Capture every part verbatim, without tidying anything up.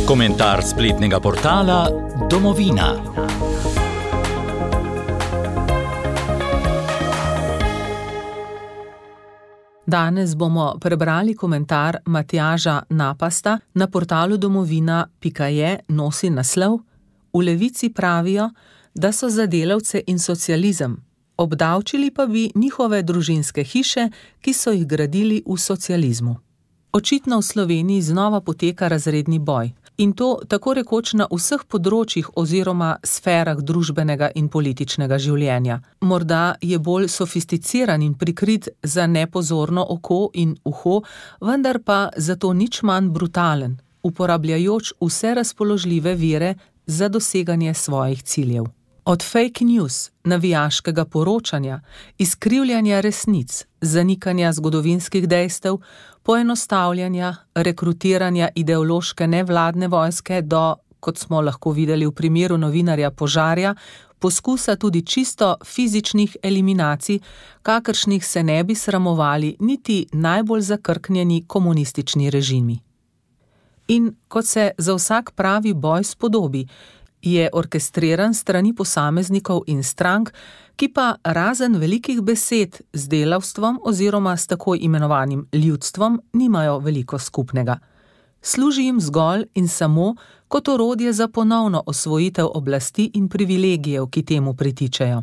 Komentar spletnega portala Domovina. Danes bomo prebrali komentar Matjaža Napasta na portalu domovina pika je, nosi naslov: V Levici pravijo, da so za delavce in socializem, obdavčili pa bi njihove družinske hiše, ki so jih gradili v socializmu. Očitno v Sloveniji znova poteka razredni boj, in to tako rekoč na vseh področjih oziroma sferah družbenega in političnega življenja. Morda je bolj sofisticiran in prikrit za nepozorno oko in uho, vendar pa zato nič manj brutalen, uporabljajoč vse razpoložljive vire za doseganje svojih ciljev. Od fake news, navijaškega poročanja, izkrivljanja resnic, zanikanja zgodovinskih dejstev, poenostavljanja, rekrutiranja ideološke nevladne vojske do, kot smo lahko videli v primeru novinarja Požarja, poskusa tudi čisto fizičnih eliminacij, kakršnih se ne bi sramovali niti najbolj zakrknjeni komunistični režimi. In kot se za vsak pravi boj spodobi, je orkestriran strani posameznikov in strank, ki pa razen velikih besed z delavstvom oziroma s tako imenovanim ljudstvom nimajo veliko skupnega. Služi jim zgolj in samo kot orodje za ponovno osvojitev oblasti in privilegijev, ki temu pritičejo.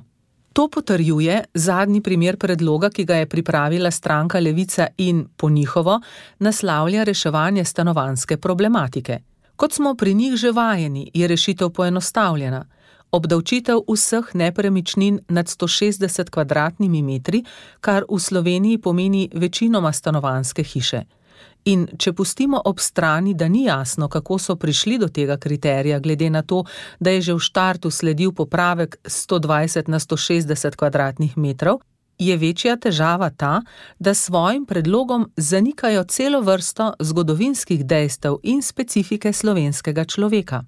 To potrjuje zadnji primer predloga, ki ga je pripravila stranka Levica in, po njihovo, naslavlja reševanje stanovanjske problematike. Kot smo pri njih že vajeni, je rešitev poenostavljena. Obdavčitev vseh nepremičnin nad sto šestdeset kvadratnimi metri, kar v Sloveniji pomeni večinoma stanovanjske hiše. In če pustimo ob strani, da ni jasno, kako so prišli do tega kriterija, glede na to, da je že v štartu sledil popravek sto dvajset na sto šestdeset kvadratnih metrov, je večja težava ta, da s svojim predlogom zanikajo celo vrsto zgodovinskih dejstev in specifike slovenskega človeka.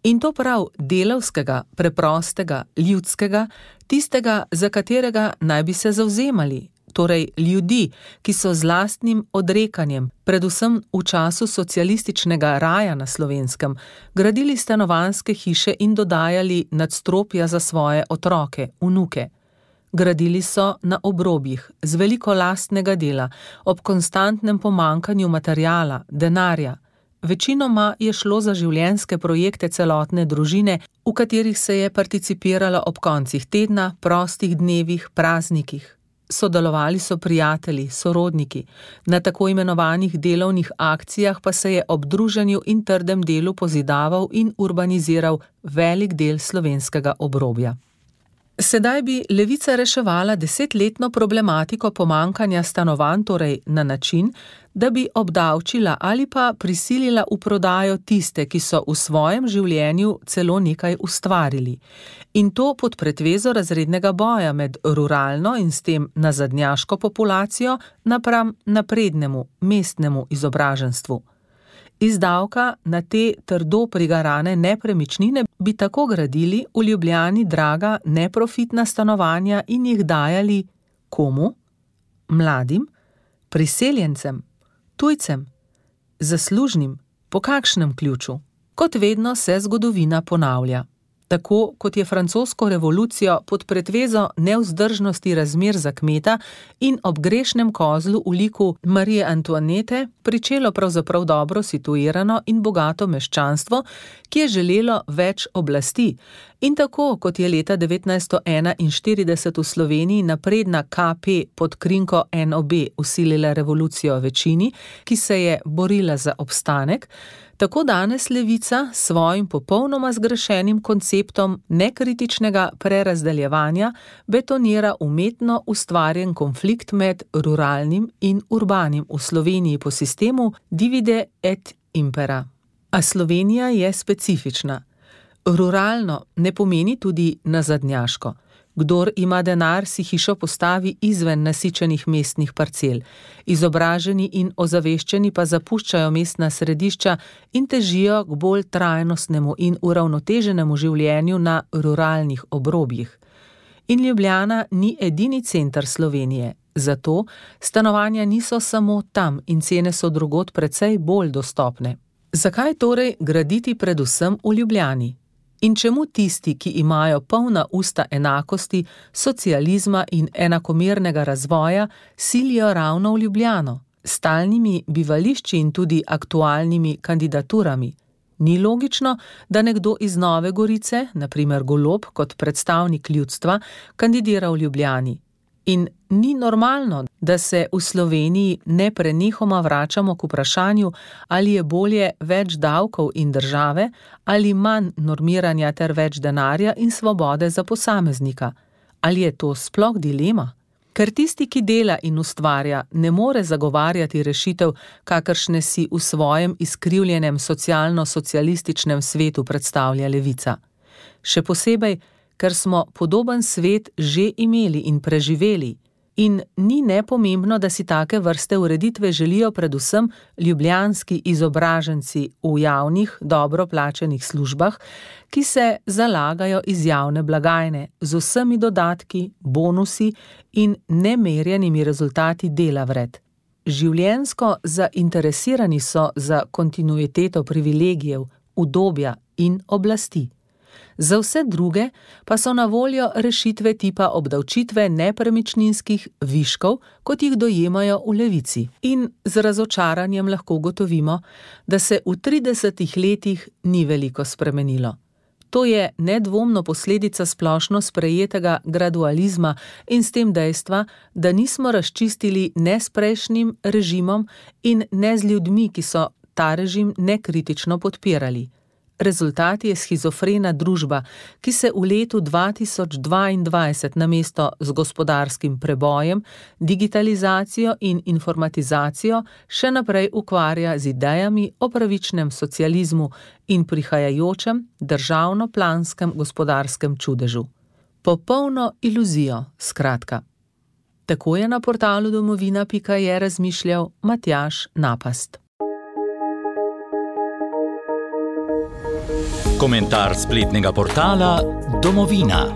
In to prav delavskega, preprostega, ljudskega, tistega, za katerega naj bi se zavzemali, torej ljudi, ki so z lastnim odrekanjem, predvsem v času socialističnega raja na Slovenskem, gradili stanovanjske hiše in dodajali nadstropja za svoje otroke, vnuke. Gradili so na obrobjih, z veliko lastnega dela, ob konstantnem pomanjkanju materiala, denarja. Večinoma je šlo za življenjske projekte celotne družine, v katerih se je participiralo ob koncih tedna, prostih dnevih, praznikih. Sodelovali so prijatelji, sorodniki, na tako imenovanih delovnih akcijah pa se je ob druženju in trdem delu pozidaval in urbaniziral velik del slovenskega obrobja. Sedaj bi Levica reševala desetletno problematiko pomanjkanja stanovanj, torej na način, da bi obdavčila ali pa prisilila v prodajo tiste, ki so v svojem življenju celo nekaj ustvarili. In to pod pretvezo razrednega boja med ruralno in s tem nazadnjaško populacijo napram naprednemu, mestnemu izobraženstvu. Iz davka na te trdo prigarane nepremičnine bi tako gradili v Ljubljani draga neprofitna stanovanja in jih dajali komu? Mladim? Priseljencem? Tujcem? Zaslužnim? Po kakšnem ključu? Kot vedno se zgodovina ponavlja. Tako kot je francosko revolucijo pod pretvezo nevzdržnosti razmer za kmeta in ob grešnem kozlu v liku Marije Antoinete pričelo pravzaprav dobro situirano in bogato meščanstvo, ki je želelo več oblasti. In tako kot je leta devetnajststo enainštirideset v Sloveniji napredna K P pod krinko N O B vsilila revolucijo večini, ki se je borila za obstanek, tako danes Levica s svojim popolnoma zgrešenim konceptom nekritičnega prerazdeljevanja betonira umetno ustvarjen konflikt med ruralnim in urbanim v Sloveniji po sistemu divide et impera. A Slovenija je specifična. Ruralno ne pomeni tudi nazadnjaško. Kdor ima denar, si hišo postavi izven nasičenih mestnih parcel. Izobraženi in ozaveščeni pa zapuščajo mestna središča in težijo k bolj trajnostnemu in uravnoteženemu življenju na ruralnih obrobjih. In Ljubljana ni edini center Slovenije. Zato stanovanja niso samo tam in cene so drugod precej bolj dostopne. Zakaj torej graditi predvsem v Ljubljani? In čemu tisti, ki imajo polna usta enakosti, socializma in enakomernega razvoja, silijo ravno v Ljubljano, s stalnimi bivališči in tudi aktualnimi kandidaturami? Ni logično, da nekdo iz Nove Gorice, na primer Golob kot predstavnik ljudstva, kandidira v Ljubljani. In ni normalno, da se v Sloveniji neprenehoma vračamo k vprašanju, ali je bolje več davkov in države ali manj normiranja ter več denarja in svobode za posameznika. Ali je to sploh dilema? Ker tisti, ki dela in ustvarja, ne more zagovarjati rešitev, kakršne si v svojem izkrivljenem socialno-socialističnem svetu predstavlja levica. Še posebej, ker smo podoben svet že imeli in preživeli. In ni nepomembno, da si take vrste ureditve želijo predvsem ljubljanski izobraženci v javnih, dobro plačanih službah, ki se zalagajo iz javne blagajne z vsemi dodatki, bonusi in nemerjenimi rezultati dela vred. Življenjsko zainteresirani so za kontinuiteto privilegijev, udobja in oblasti. Za vse druge pa so na voljo rešitve tipa obdavčitve nepremičninskih viškov, kot jih dojemajo v levici. In z razočaranjem lahko ugotovimo, da se v tridesetih letih ni veliko spremenilo. To je nedvomno posledica splošno sprejetega gradualizma in s tem dejstva, da nismo razčistili ne s prejšnjim režimom in ne z ljudmi, ki so ta režim nekritično podpirali. Rezultat je shizofrena družba, ki se v letu dva tisoč dvaindvajset namesto z gospodarskim prebojem, digitalizacijo in informatizacijo še naprej ukvarja z idejami o pravičnem socializmu in prihajajočem državno-planskem gospodarskem čudežu. Popolno iluzijo, skratka. Tako je na portalu domovina pika je razmišljal Matjaž Napast. Komentar spletnega portala Domovina.